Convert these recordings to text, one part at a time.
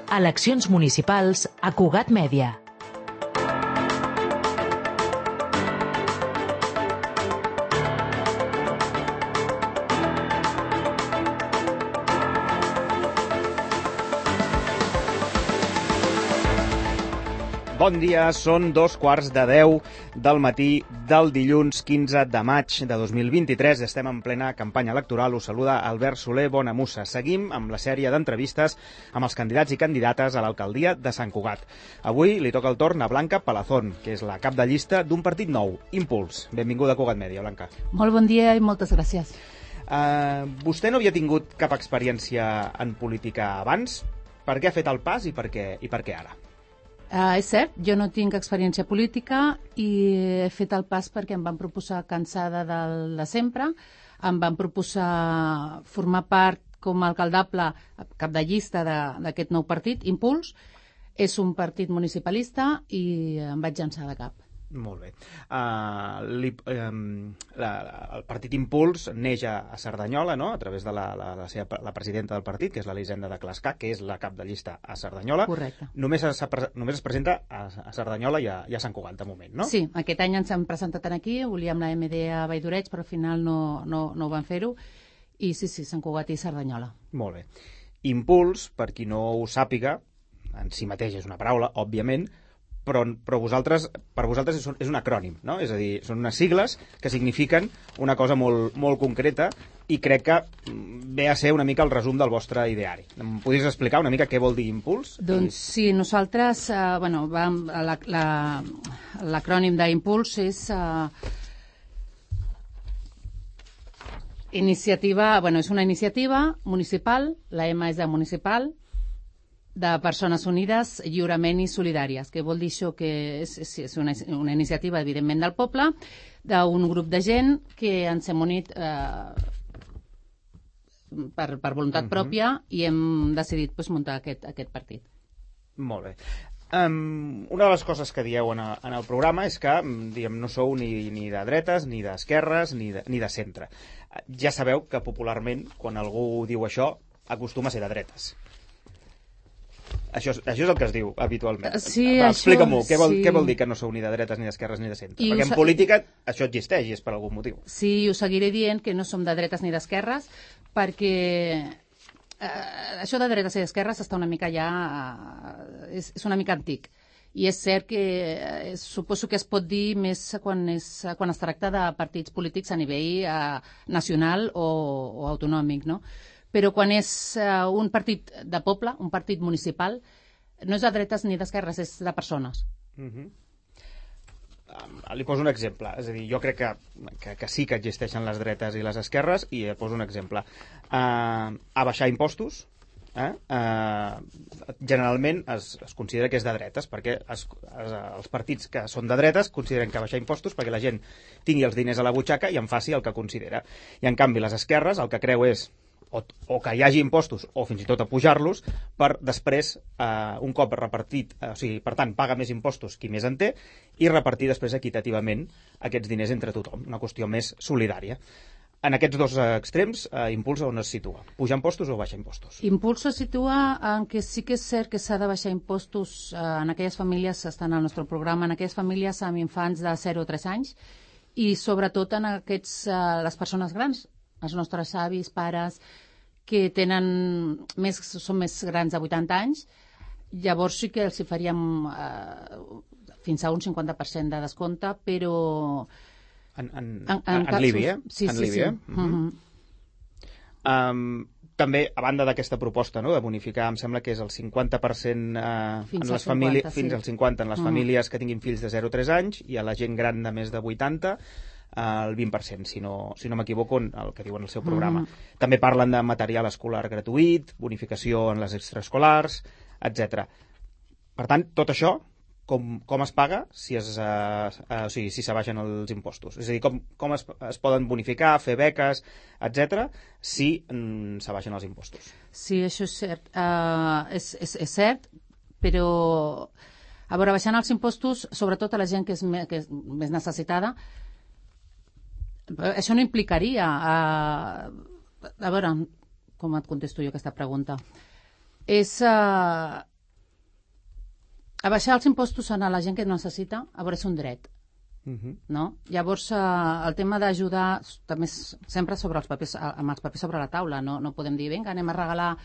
Eleccions municipals a Cugat Mèdia. Bon dia, són 2:15 del matí del dilluns 15 de maig de 2023. Estem en plena campanya electoral. Us saluda Albert Soler Bonamussa. Seguim amb la sèrie d'entrevistes amb els candidats i candidates a l'alcaldia de Sant Cugat. Avui li toca el torn a Blanca Palazón, que és la cap de llista d'un partit nou, Impuls. Benvinguda a Cugat Mèdia, Blanca. Molt bon dia i moltes gràcies. Vostè no havia tingut cap experiència en política abans? Per què ha fet el pas i per què ara? És cert, jo no tinc experiència política i he fet el pas perquè em van proposar, cansada del de sempre, em van proposar formar part com a alcaldable, cap de llista d'aquest nou partit, Impuls. És un partit municipalista i em vaig llançar de cap. Molt bé. El partit Impuls neix a Cerdanyola, no?, a través de la presidenta del partit, que és l'Elisenda de Clascar, que és la cap de llista a Cerdanyola. Correcte. Només es presenta a Cerdanyola i a Sant Cugat, de moment, no? Sí, aquest any ens hem presentat aquí, volíem la MD a Valldoreig, però al final no van fer-ho. I sí, Sant Cugat i Cerdanyola. Molt bé. Impuls, per qui no ho sàpiga, en si mateix és una paraula, òbviament, però per vosaltres és un acrònim, no? És a dir, són unes sigles que signifiquen una cosa molt, molt concreta i crec que ve a ser una mica el resum del vostre ideari. Em podries explicar una mica què vol dir Impuls? Doncs sí, nosaltres, l'acrònim d'Impuls és és una iniciativa municipal, la M és de municipal, de persones unides, lliurement i solidàries, que vol dir això que és una iniciativa, evidentment, del poble, d'un grup de gent que ens hem unit per voluntat pròpia i hem decidit muntar aquest partit. Molt bé. Una de les coses que dieu en el programa és que no sou ni de dretes, ni d'esquerres, ni de centre. Ja sabeu que popularment, quan algú diu això, acostuma a ser de dretes. Això és el que es diu habitualment. Sí, explica-m'ho, què vol dir que no sou ni de dretes, ni d'esquerres, ni de centre? Perquè en política això existeix i és per algun motiu. Sí, us seguiré dient que no som de dretes ni d'esquerres, perquè això de dretes i d'esquerres està una mica és una mica antic. I és cert que suposo que es pot dir més quan es tracta de partits polítics a nivell nacional o autonòmic, no? Però quan és un partit de poble, un partit municipal, no és de dretes ni d'esquerres, és de persones. Li poso un exemple. És a dir, jo crec que sí que existeixen les dretes i les esquerres, i poso un exemple. Abaixar impostos, generalment es considera que és de dretes, perquè els partits que són de dretes consideren que abaixar impostos perquè la gent tingui els diners a la butxaca i en faci el que considera. I en canvi les esquerres el que creu és o que hi hagi impostos o fins i tot a pujar-los per després, un cop repartit, per tant, paga més impostos qui més en té i repartir després equitativament aquests diners entre tothom, una qüestió més solidària. En aquests dos extrems, Impuls on es situa? Pujar impostos o baixar impostos? Impuls se situa en que sí que és cert que s'ha de baixar impostos en aquelles famílies, estan al nostre programa, en aquelles famílies amb infants de 0 a 3 anys i sobretot en les persones grans, els nostres avis, pares, que són més grans de 80 anys, llavors sí que els hi faríem fins a un 50% de descompte, però... En l'IBI, Sí. També, a banda d'aquesta proposta, no?, de bonificar, em sembla que és el 50% fins al 50% en les famílies que tinguin fills de 0 a 3 anys i a la gent gran de més de 80, el 20%, si no m'equivoco, el que diuen al seu programa. També parlen de material escolar gratuït, bonificació en les extraescolars, etc. Per tant, tot això, com es paga si s'abaixen els impostos? És a dir, com es poden bonificar, fer beques, etc., si s'abaixen els impostos? Sí, això és cert. És cert, però a veure, baixant els impostos, sobretot a la gent que és més necessitada, això no implicaria... A veure, com et contesto jo aquesta pregunta? És Abaixar els impostos a la gent que no necessita, a veure si un dret. No? Llavors, el tema d'ajudar també sempre sobre els papers, amb els papers sobre la taula. No podem dir, vinga, anem a regalar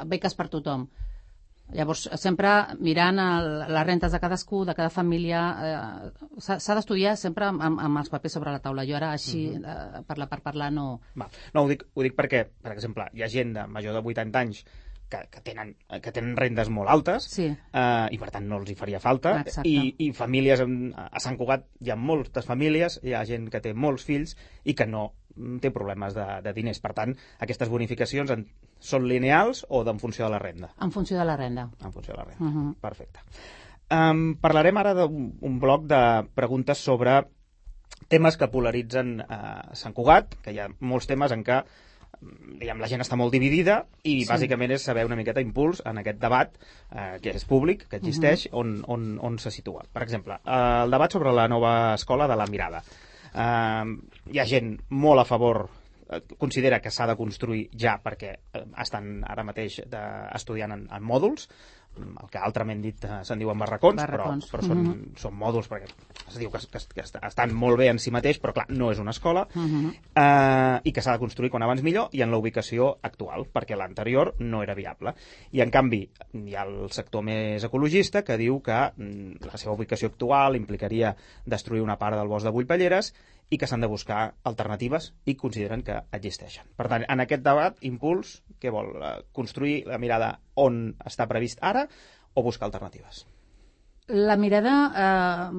beques per tothom. Llavors, sempre mirant les rentes de cadascú, de cada família, s'ha d'estudiar sempre amb els papers sobre la taula. Jo ara, així, parlar per parlar, no... No, ho dic perquè, per exemple, hi ha gent de major de 80 anys que tenen rendes molt altes, sí, i per tant no els hi faria falta. I famílies, a Sant Cugat hi ha moltes famílies, hi ha gent que té molts fills i que no té problemes de diners. Per tant, aquestes bonificacions són lineals o en funció de la renda? En funció de la renda. En funció de la renda, perfecte. Parlarem ara d'un bloc de preguntes sobre temes que polaritzen Sant Cugat, que hi ha molts temes en què la gent està molt dividida i bàsicament és saber una miqueta impuls en aquest debat que és públic, que existeix, on se situa. Per exemple, el debat sobre la nova escola de la Mirada. Hi ha gent molt a favor, considera que s'ha de construir ja perquè estan ara mateix estudiant en mòduls, el que altrament dit se'n diuen barracons. Però són mòduls perquè es diu que estan molt bé en si mateix, però clar, no és una escola, i que s'ha de construir quan abans millor i en la ubicació actual, perquè l'anterior no era viable. I en canvi hi ha el sector més ecologista que diu que la seva ubicació actual implicaria destruir una part del bosc de Bullpelleres i que s'han de buscar alternatives i consideren que existeixen. Per tant, en aquest debat, Impuls, què vol? Construir la Mirada on està previst ara o buscar alternatives? La Mirada,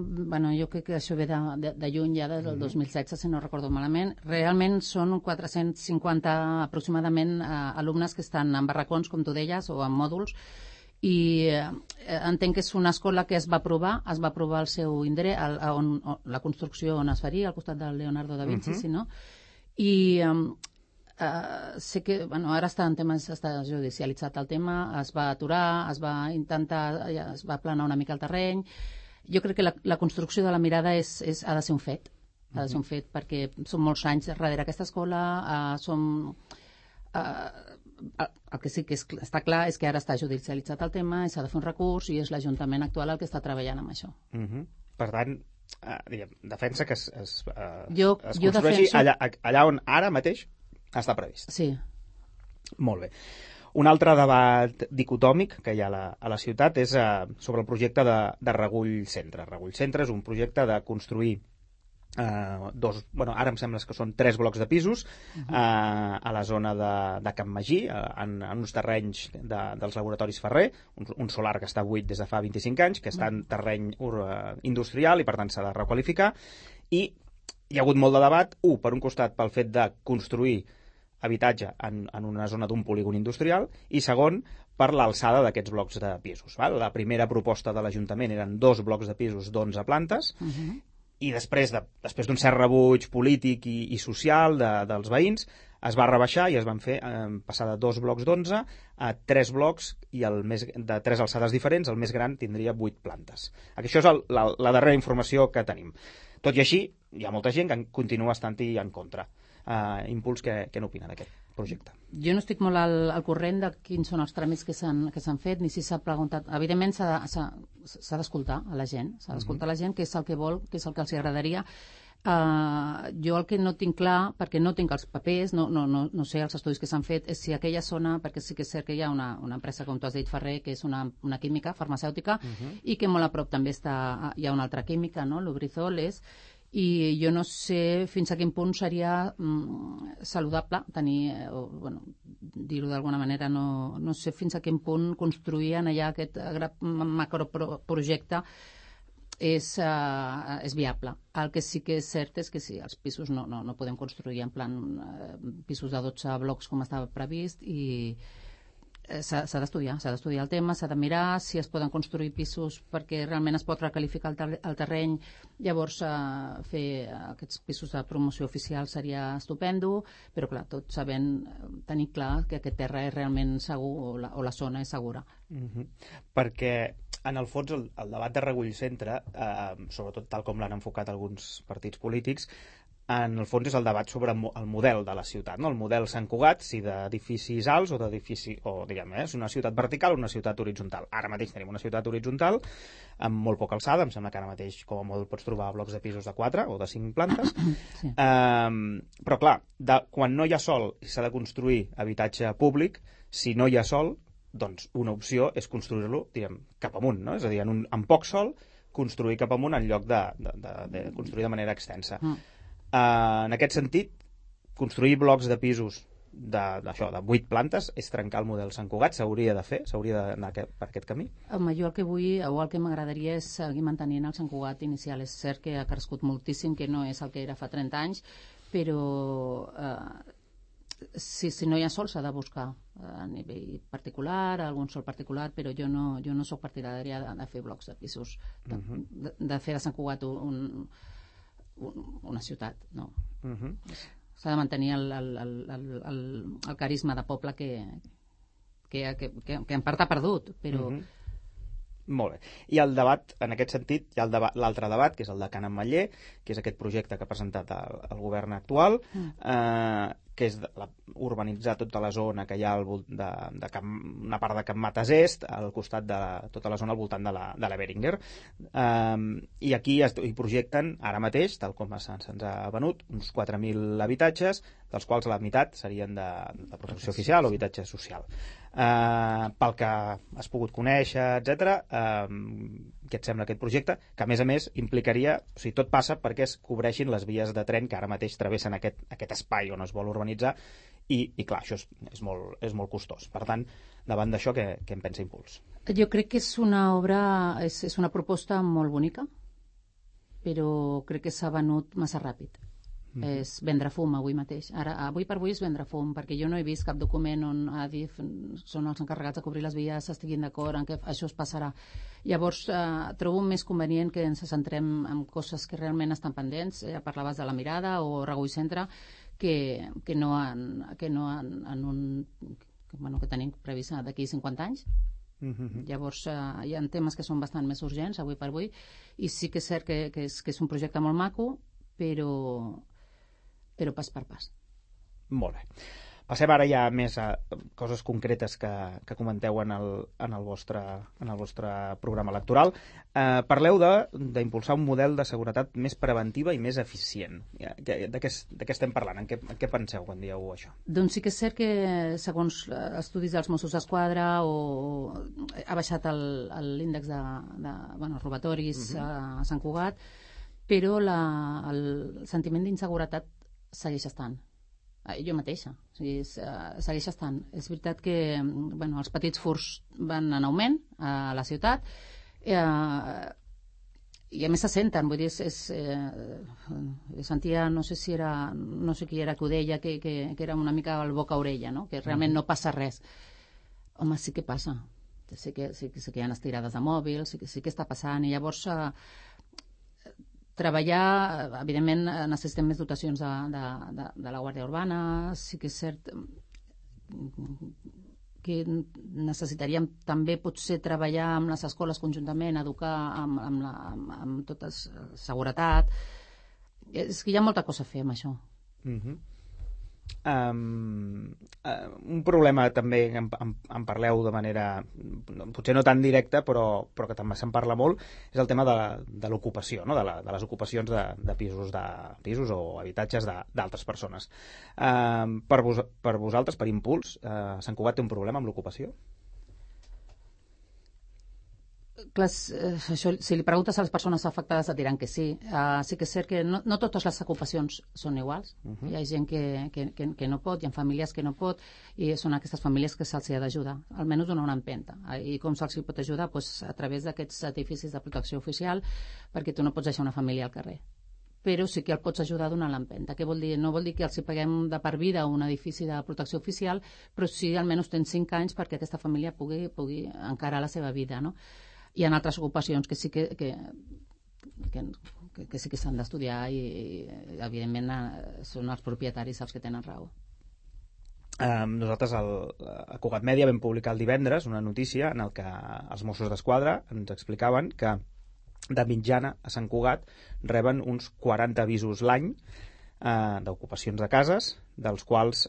jo crec que això ve de lluny ja, del 2016, si no recordo malament. Realment són 450 aproximadament alumnes que estan en barracons, com tu deies, o en mòduls, i entenc que és una escola que es va aprovar el seu indret, la construcció on es faria, al costat del Leonardo da Vinci, si no? I sé que ara està judicialitzat el tema, es va aturar, es va aplanar una mica el terreny. Jo crec que la construcció de la Mirada ha de ser un fet, perquè són molts anys darrere aquesta escola, el que sí que està clar és que ara està judicialitzat el tema i s'ha de fer un recurs i és l'Ajuntament actual el que està treballant amb això. Per tant, defensa que es construeixi construeixi allà on ara mateix està previst. Sí. Molt bé. Un altre debat dicotòmic que hi ha a la ciutat és sobre el projecte de Regull Centre. Regull Centre és un projecte de construir ara em sembla que són 3 blocs de pisos a la zona de Can Magí, en uns terrenys dels laboratoris Ferrer, un solar que està buit des de fa 25 anys, que està en terreny industrial i per tant s'ha de requalificar, i hi ha hagut molt de debat, per un costat pel fet de construir habitatge en una zona d'un polígon industrial, i segon, per l'alçada d'aquests blocs de pisos. La primera proposta de l'Ajuntament eren 2 blocs de pisos d'11 plantes, i després d'un cert rebuig polític i social dels veïns, es va rebaixar i es van fer passar de 2 blocs d'11 a 3 blocs i de 3 alçades diferents, el més gran tindria 8 plantes. Això és la darrera informació que tenim. Tot i així, hi ha molta gent que continua estant-hi en contra. Impuls, què n'opina d'aquest projecte? Jo no estic molt al corrent de quins són els tràmits que s'han fet, ni si s'ha preguntat. Evidentment s'ha d'escoltar a la gent, què és el que vol, què és el que els agradaria. Jo el que no tinc clar, perquè no tinc els papers, no sé els estudis que s'han fet, és si aquella zona, perquè sí que és cert que hi ha una empresa, com tu has dit, Ferrer, que és una química farmacèutica, i que molt a prop també hi ha una altra química, no? Lubrizol i jo no sé fins a quin punt seria saludable tenir, dir-ho d'alguna manera, no sé fins a quin punt construir allà aquest macroprojecte és viable. El que sí que és cert és que sí, els pisos no podem construir en plan pisos de 12 blocs com estava previst, i s'ha d'estudiar el tema, s'ha de mirar si es poden construir pisos perquè realment es pot recalificar el terreny, llavors fer aquests pisos de promoció oficial seria estupendo, però clar, tot sabent, tenir clar que aquest terra és realment segur o la zona és segura. Perquè en el fons el debat de Regull Centre, sobretot tal com l'han enfocat alguns partits polítics, en el fons és el debat sobre el model de la ciutat, no? El model Sant Cugat, si d'edificis alts o d'edifici, o diguem, és una ciutat vertical o una ciutat horitzontal. Ara mateix tenim una ciutat horitzontal amb molt poca alçada, em sembla que ara mateix com a molt pots trobar blocs de pisos de 4 o de 5 plantes, sí. Però clar, quan no hi ha sol i s'ha de construir habitatge públic, si no hi ha sol, doncs una opció és construir-lo, diguem, cap amunt, no? És a dir, amb poc sol, construir cap amunt en lloc de construir de manera extensa. En aquest sentit, construir blocs de pisos de 8 plantes és trencar el model Sant Cugat, s'hauria de fer, s'hauria d'anar per aquest camí. Home, jo el que vull, o el que m'agradaria és seguir mantenint el Sant Cugat inicial. És cert que ha crescut moltíssim, que no és el que era fa 30 anys, però si no hi ha sol s'ha de buscar a nivell particular, algun sol particular, però jo no soc partidària de fer blocs de pisos, de fer de Sant Cugat una ciutat, no. S'ha de mantenir el carisma de poble que en part ha perdut, però... Molt bé. I el debat, en aquest sentit, hi ha l'altre debat, que és el de Can Ametller, que és aquest projecte que ha presentat el govern actual, que és urbanitzar tota la zona que hi ha una part de Can Mates Est, al costat de tota la zona al voltant de la Beringer. I aquí hi projecten, ara mateix, tal com se'ns ha venut, uns 4.000 habitatges, dels quals la meitat serien de protecció oficial o habitatge social. Pel que has pogut conèixer, etc., què et sembla aquest projecte, que a més implicaria, o sigui, tot passa perquè es cobreixin les vies de tren que ara mateix travessen aquest espai on es vol urbanitzar i clar, això és molt costós. Per tant, davant d'això, què en pensa Impuls? Jo crec que és una proposta molt bonica, però crec que s'ha venut massa ràpid. És vendre fum avui mateix. Avui per avui és vendre fum, perquè jo no he vist cap document on Adif són els encarregats de cobrir les vies, estiguin d'acord en que això es passarà. Llavors, trobo més convenient que ens centrem en coses que realment estan pendents. Parlaves de la Mirada o Regull Centre, que no en un... que tenim previst d'aquí 50 anys. Llavors, hi ha temes que són bastant més urgents avui per avui, i sí que és cert que és un projecte molt maco, però pas per pas. Molt bé. Passem ara ja més a coses concretes que comenteu en el vostre programa electoral. Parleu d'impulsar un model de seguretat més preventiva i més eficient. De què estem parlant? En què penseu quan dieu això? Doncs sí que és cert que, segons estudis dels Mossos d'Esquadra, ha baixat l'índex de robatoris a Sant Cugat, però el sentiment d'inseguretat segueix estant. Jo mateixa, segueix estant. És veritat que els petits furts van en augment a la ciutat i a més se senten, vull dir, sentia, no sé qui era que ho deia, que era una mica el boca-orella, no? Que realment no passa res. Home, sí que passa. Sí que hi ha estirades de mòbil, sí que està passant, i llavors treballar, evidentment necessitem més dotacions de la Guàrdia Urbana, sí que és cert que necessitaríem també potser treballar amb les escoles conjuntament, educar amb tota seguretat. És que hi ha molta cosa a fer amb això. Un problema també en parleu de manera potser no tan directa, però que també se'n parla molt, és el tema de l'ocupació, no? de les ocupacions de pisos o habitatges d'altres persones. Per vosaltres, per Impuls, Sant Cugat té un problema amb l'ocupació? Clar, si li preguntes a les persones afectades et diran que sí. Sí que és cert que no totes les ocupacions són iguals. Hi ha gent que no pot, hi ha famílies que no pot, i són aquestes famílies que se'ls ha d'ajudar, almenys donar una empenta. I com se'ls pot ajudar? A través d'aquests edificis de protecció oficial, perquè tu no pots deixar una família al carrer. Però sí que el pots ajudar a donar l'empenta. Què vol dir? No vol dir que els paguem de per vida un edifici de protecció oficial, però sí almenys tens 5 anys perquè aquesta família pugui encarar la seva vida, no? Hi ha altres ocupacions que sí que sí que s'han d'estudiar i evidentment són els propietaris els que tenen raó. Nosaltres a Cugat Mèdia vam publicar el divendres una notícia en el que els Mossos d'Esquadra ens explicaven que de mitjana a Sant Cugat reben uns 40 avisos l'any d'ocupacions de cases, dels quals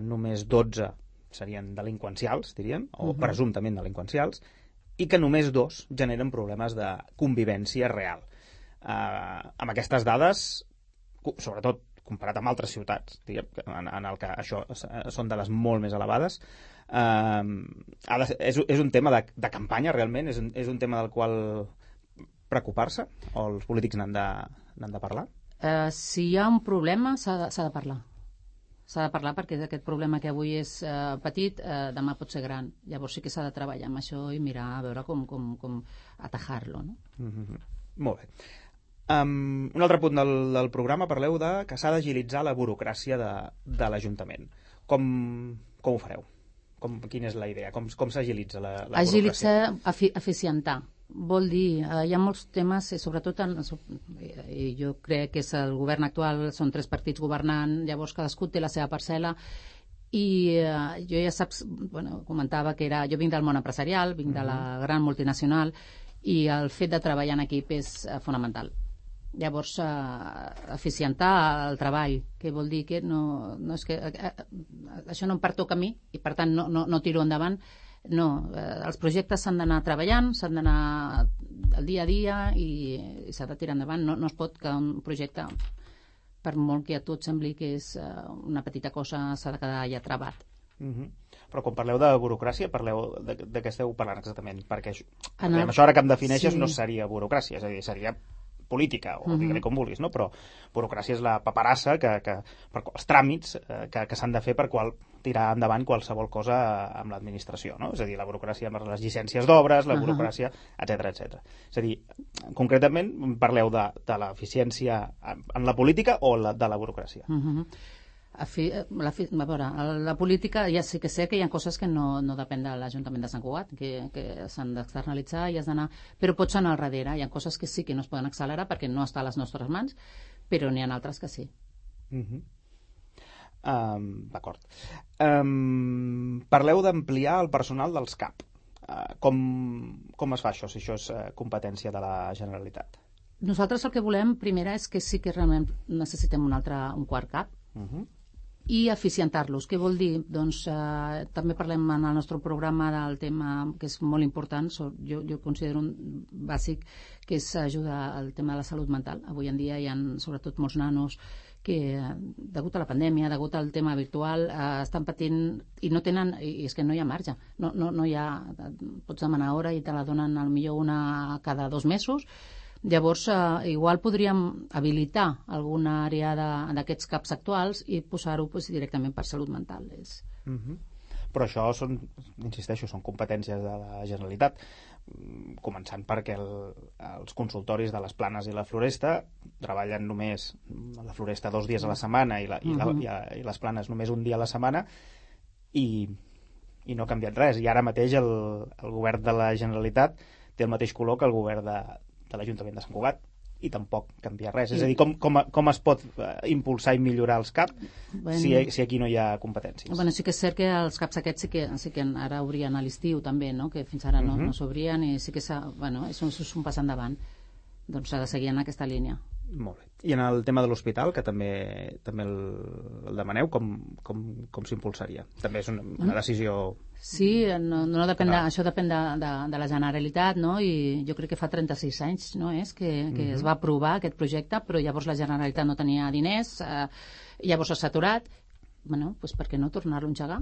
només 12 serien delinqüencials, diríem, o presumptament delinqüencials, i que només 2 generen problemes de convivència real. Amb aquestes dades, sobretot comparat amb altres ciutats, diguem, en el que això són dades molt més elevades, és un tema de campanya, realment? És un tema del qual preocupar-se? O els polítics n'han de parlar? Si hi ha un problema, s'ha de parlar. S'ha de parlar perquè aquest problema que avui és petit, demà pot ser gran. Llavors sí que s'ha de treballar amb això i mirar a veure com atajar-lo, no? Molt bé. Un altre punt del programa, parleu que s'ha d'agilitzar la burocràcia de l'Ajuntament. Com ho fareu? Quina és la idea? Com s'agilitza la burocràcia? Agilitzar, eficientar. Vol dir, hi ha molts temes, sobretot, jo crec que és el govern actual, són 3 partits governant, llavors cadascú té la seva parcel·la, i jo ja saps, comentava que jo vinc del món empresarial, vinc de la gran multinacional, i el fet de treballar en equip és fonamental. Llavors, eficientar el treball, que vol dir que no és que això no em pertoca a mi i per tant no tiro endavant. No, els projectes s'han d'anar treballant, s'han d'anar al dia a dia i s'ha de tirar endavant. No es pot quedar un projecte, per molt que a tu et sembli que és una petita cosa, s'ha de quedar ja trabat. Però quan parleu de burocràcia, parleu de què esteu parlant exactament? Perquè això ara que em defineixes no seria burocràcia, és a dir, seria política, o digue-li com vulguis, no? Però burocràcia és la paperassa, els tràmits que s'han de fer per tirar endavant qualsevol cosa amb l'administració, no? És a dir, la burocràcia amb les llicències d'obres, la burocràcia, etc. És a dir, concretament parleu de l'eficiència en la política o de la burocràcia? A veure, la política ja sí que sé que hi ha coses que no depèn de l'Ajuntament de Sant Cugat, que s'han d'externalitzar i has d'anar, però pots anar al darrere. Hi ha coses que sí que no es poden accelerar perquè no està a les nostres mans, però n'hi ha altres que sí. D'acord. Parleu d'ampliar el personal dels CAP. Com es fa això, si això és competència de la Generalitat? Nosaltres el que volem, primera, és que sí que realment necessitem un quart CAP, i eficientar-los. Què vol dir? Doncs també parlem en el nostre programa del tema que és molt important, jo considero un bàsic, que és ajudar al tema de la salut mental. Avui en dia hi ha sobretot molts nanos que, degut a la pandèmia, degut al tema virtual, estan patint i no tenen, i és que no hi ha marge. No hi ha, pots demanar hora i te la donen millor una cada 2 mesos. Llavors, igual podríem habilitar alguna àrea d'aquests CAPs actuals i posar-ho directament per salut mental. Però això insisteixo, són competències de la Generalitat, començant perquè els consultoris de les Planes i la Floresta treballen només la Floresta 2 dies a la setmana i les Planes només un dia a la setmana i no ha canviat res. I ara mateix el govern de la Generalitat té el mateix color que el govern de l'Ajuntament de Sant Cugat i tampoc canvia res. És a dir, com es pot impulsar i millorar els CAP si aquí no hi ha competències? Sí que és cert que els CAPs aquests sí que ara obrien a l'estiu també, que fins ara no s'obrien i sí que és un pas endavant. Doncs s'ha de seguir en aquesta línia. Molt bé. I en el tema de l'hospital, que també el demaneu, com s'impulsaria? També és una decisió... Sí, no depèn això depèn de la Generalitat, no? I jo crec que fa 36 anys que es va aprovar aquest projecte, però llavors la Generalitat no tenia diners, llavors s'ha aturat. Doncs per què no tornar-lo a engegar?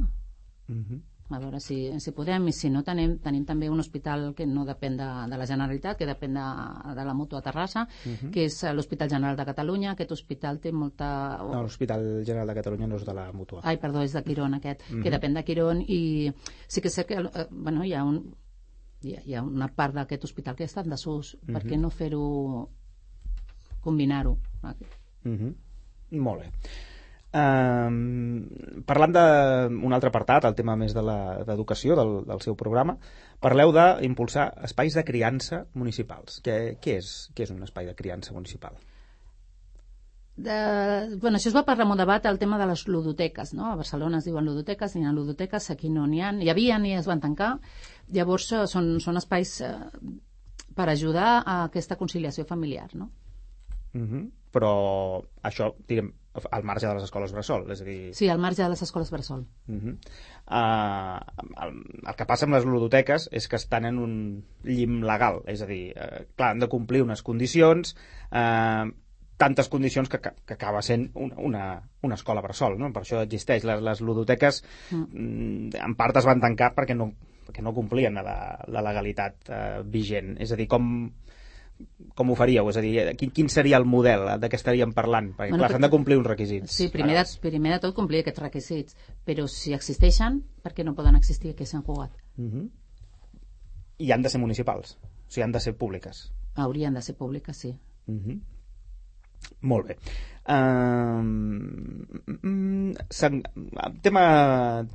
A veure si podem, i si no tenim també un hospital que no depèn de la Generalitat, que depèn de la Mútua Terrassa, que és l'Hospital General de Catalunya. Aquest hospital té molta... No, l'Hospital General de Catalunya no és de la Mútua. Ai, perdó, és de Quirón aquest, que depèn de Quirón, i sí que sé que hi ha una part d'aquest hospital que està en desús. Per què no fer-ho, combinar-ho? Molt bé. Parlant d'un altre apartat, el tema més d'educació del seu programa, parleu d'impulsar espais de criança municipals. Què és un espai de criança municipal? Això es va parlar en un debat, el tema de les ludoteques, no? A Barcelona es diuen ludoteques, n'hi ha ludoteques, aquí no n'hi ha, hi havia i es van tancar. Llavors són espais per ajudar a aquesta conciliació familiar, no? Però això, diguem, al marge de les escoles bressol, és a dir... Sí, al marge de les escoles bressol. El que passa amb les ludoteques és que estan en un llim legal, és a dir, clar, han de complir unes condicions, tantes condicions que acaba sent una escola bressol, no? Per això existeix. Les ludoteques en part es van tancar perquè no complien la legalitat vigent. És a dir, com ho faríeu? És a dir, quin seria el model de què estaríem parlant? Perquè, clar, s'han de complir uns requisits. Sí, primer de tot complir aquests requisits, però si existeixen, per què no poden existir aquí a Sant Cugat? I han de ser municipals? O sigui, han de ser públiques? Haurien de ser públiques, sí. Molt bé.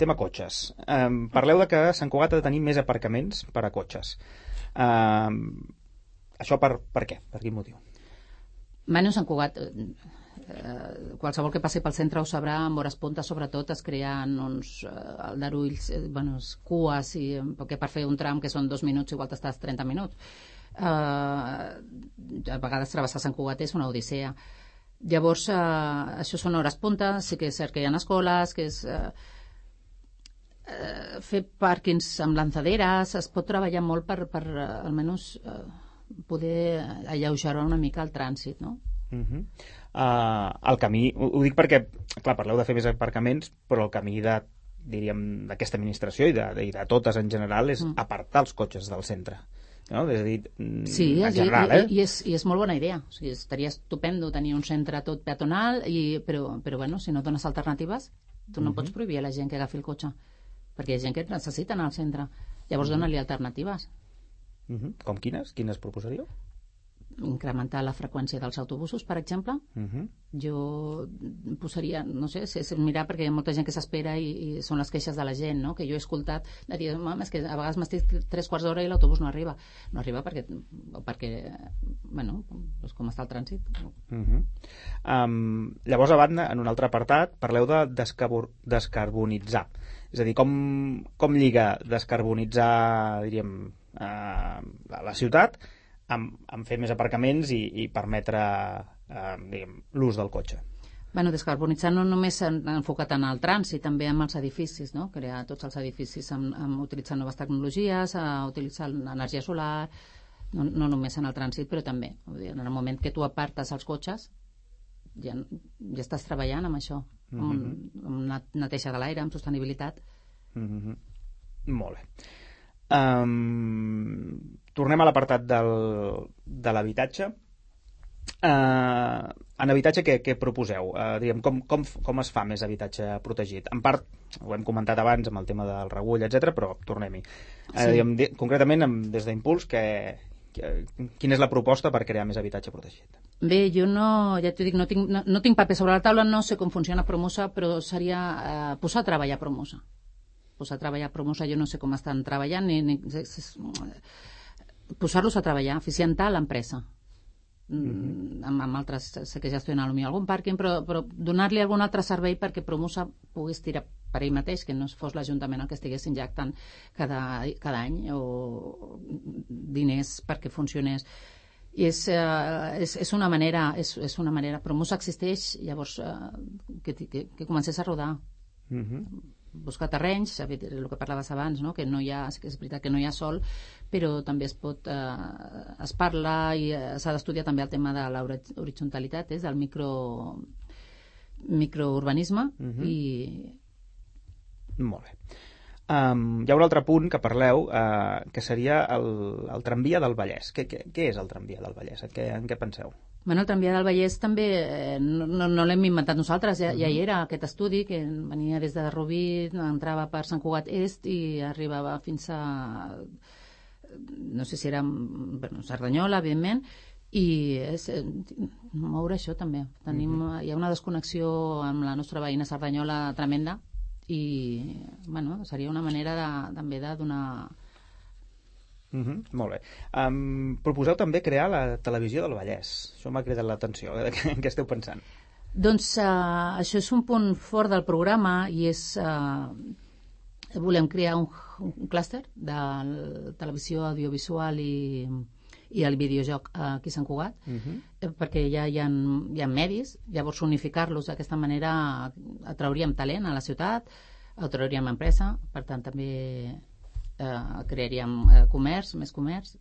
Tema cotxes. Parleu de que Sant Cugat ha de tenir més aparcaments per a cotxes. Això per què? Per quin motiu? Bueno, Sant Cugat, qualsevol que passi pel centre ho sabrà, amb hores punta sobretot es creen uns aldarulls, cues, perquè per fer un tram que són 2 minuts igual t'estàs 30 minuts. A vegades travessar Sant Cugat és una odissea. Llavors, això són hores punta, sí que és cert que hi ha escoles, que és fer pàrquings amb lanzaderes, es pot treballar molt per almenys poder alleugerar una mica el trànsit, no? El camí, ho dic perquè, clar, parleu de fer més aparcaments, però el camí d'aquesta administració i de totes en general és apartar els cotxes del centre. No? És a dir, sí, en general, i és molt bona idea. O sigui, estaria estupendo tenir un centre tot peatonal, però bueno, si no dones alternatives, tu no pots prohibir a la gent que agafi el cotxe, perquè hi ha gent que necessita anar al centre. Llavors dona-li alternatives. Com quines? Quines proposaríeu? Incrementar la freqüència dels autobusos, per exemple. Jo posaria, no sé, és mirar, perquè hi ha molta gent que s'espera i són les queixes de la gent, no? Que jo he escoltat de dir, és que a vegades m'estic 3/4 d'hora i l'autobús no arriba. No arriba perquè bueno, doncs com està el trànsit. Llavors, a banda, en un altre apartat, parleu de descarbonitzar. És a dir, com lliga descarbonitzar, diríem, la ciutat amb fer més aparcaments i permetre l'ús del cotxe. Bueno, descarbonitzar no només enfocat en el trànsit, també amb els edificis, no? Crear tots els edificis utilitzant noves tecnologies, utilitzar l'energia solar, no només en el trànsit, però també. En el moment que tu apartes els cotxes, ja estàs treballant amb això, amb neteja de l'aire, amb sostenibilitat. Molt bé. Tornem a l'apartat de l'habitatge. En habitatge què proposeu? Com es fa més habitatge protegit? En part, ho hem comentat abans amb el tema del regull, etc, però tornem-hi. Concretament, des d'Impuls, quina és la proposta per crear més habitatge protegit? Bé, jo ja t'ho dic, no tinc paper sobre la taula, no sé com funciona Promosa, però seria posar a treballar Promosa. Jo no sé com estan treballant, posar-los a treballar, eficientar l'empresa. Amb altres, sé que gestionen algun pàrquing, però donar-li algun altre servei perquè Promosa pogués tirar per ell mateix, que no fos l'Ajuntament el que estigués injectant cada any o diners perquè funcionés. I és una manera, Promosa existeix, llavors que comencés a rodar. Buscar terrenys, el que parlaves abans, no? Que no hi ha, és veritat que no hi ha sol, però també es parla i s'ha d'estudiar també el tema de l'horitzontalitat, del microurbanisme. Molt bé. Hi ha un altre punt que parleu, que seria el tramvia del Vallès. Què és el tramvia del Vallès? En què penseu? Bueno, el tramvia del Vallès també no l'hem inventat nosaltres, ja hi era aquest estudi que venia des de Rubí, entrava per Sant Cugat Est i arribava fins a, no sé si era Cerdanyola, evidentment, i moure això també. Hi ha una desconnexió amb la nostra veïna Cerdanyola tremenda i bueno, seria una manera també de donar... Molt bé. Proposeu també crear la televisió del Vallès. Això m'ha cridat l'atenció. En què esteu pensant? Doncs això és un punt fort del programa i és... volem crear un clúster de televisió audiovisual i i el videojoc aquí a Sant Cugat, perquè ja hi ha medis, llavors unificar-los d'aquesta manera atrauríem talent a la ciutat, atrauríem empresa, per tant també crearíem comerç, més comerç.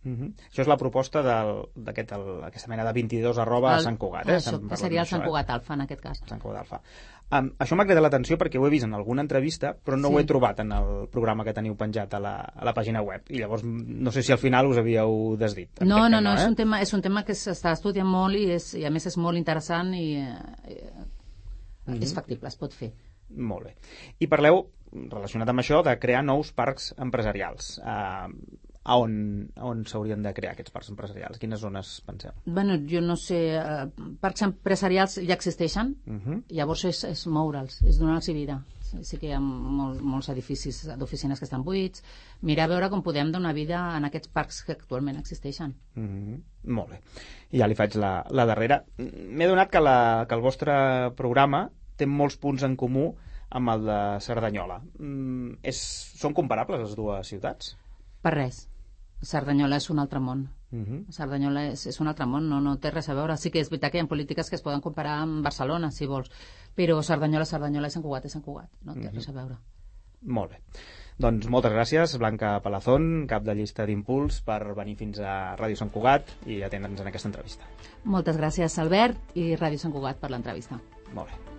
Això és la proposta d'aquesta mena de 22 @ Sant Cugat. Això, que seria el Sant Cugat Alfa, en aquest cas. Sant Cugat Alfa. Això m'ha cridat l'atenció perquè ho he vist en alguna entrevista, però no ho he trobat en el programa que teniu penjat a la pàgina web. I llavors no sé si al final us havíeu desdit. No, és un tema que s'està estudiant molt i a més és molt interessant i és factible, es pot fer. Molt bé. I parleu, relacionat amb això, de crear nous parcs empresarials. A on s'haurien de crear aquests parcs empresarials? Quines zones penseu? Bueno, jo no sé, parcs empresarials ja existeixen, llavors és moure'ls, és donar-los vida. Sí que hi ha molts edificis d'oficines que estan buits, mirar a veure com podem donar vida en aquests parcs que actualment existeixen. Molt bé. I ja li faig la darrera. M'he adonat que el vostre programa té molts punts en comú amb el de Cerdanyola. Són comparables les dues ciutats? Per res. Cerdanyola és un altre món. Cerdanyola és un altre món, no té res a veure. Sí que és veritat que hi ha polítiques que es poden comparar amb Barcelona, si vols, però Cerdanyola i Sant Cugat, no té res a veure. Molt bé. Doncs moltes gràcies, Blanca Palazón, cap de llista d'Impuls, per venir fins a Ràdio Sant Cugat i atendre'ns en aquesta entrevista. Moltes gràcies, Albert, i Ràdio Sant Cugat per l'entrevista. Molt bé.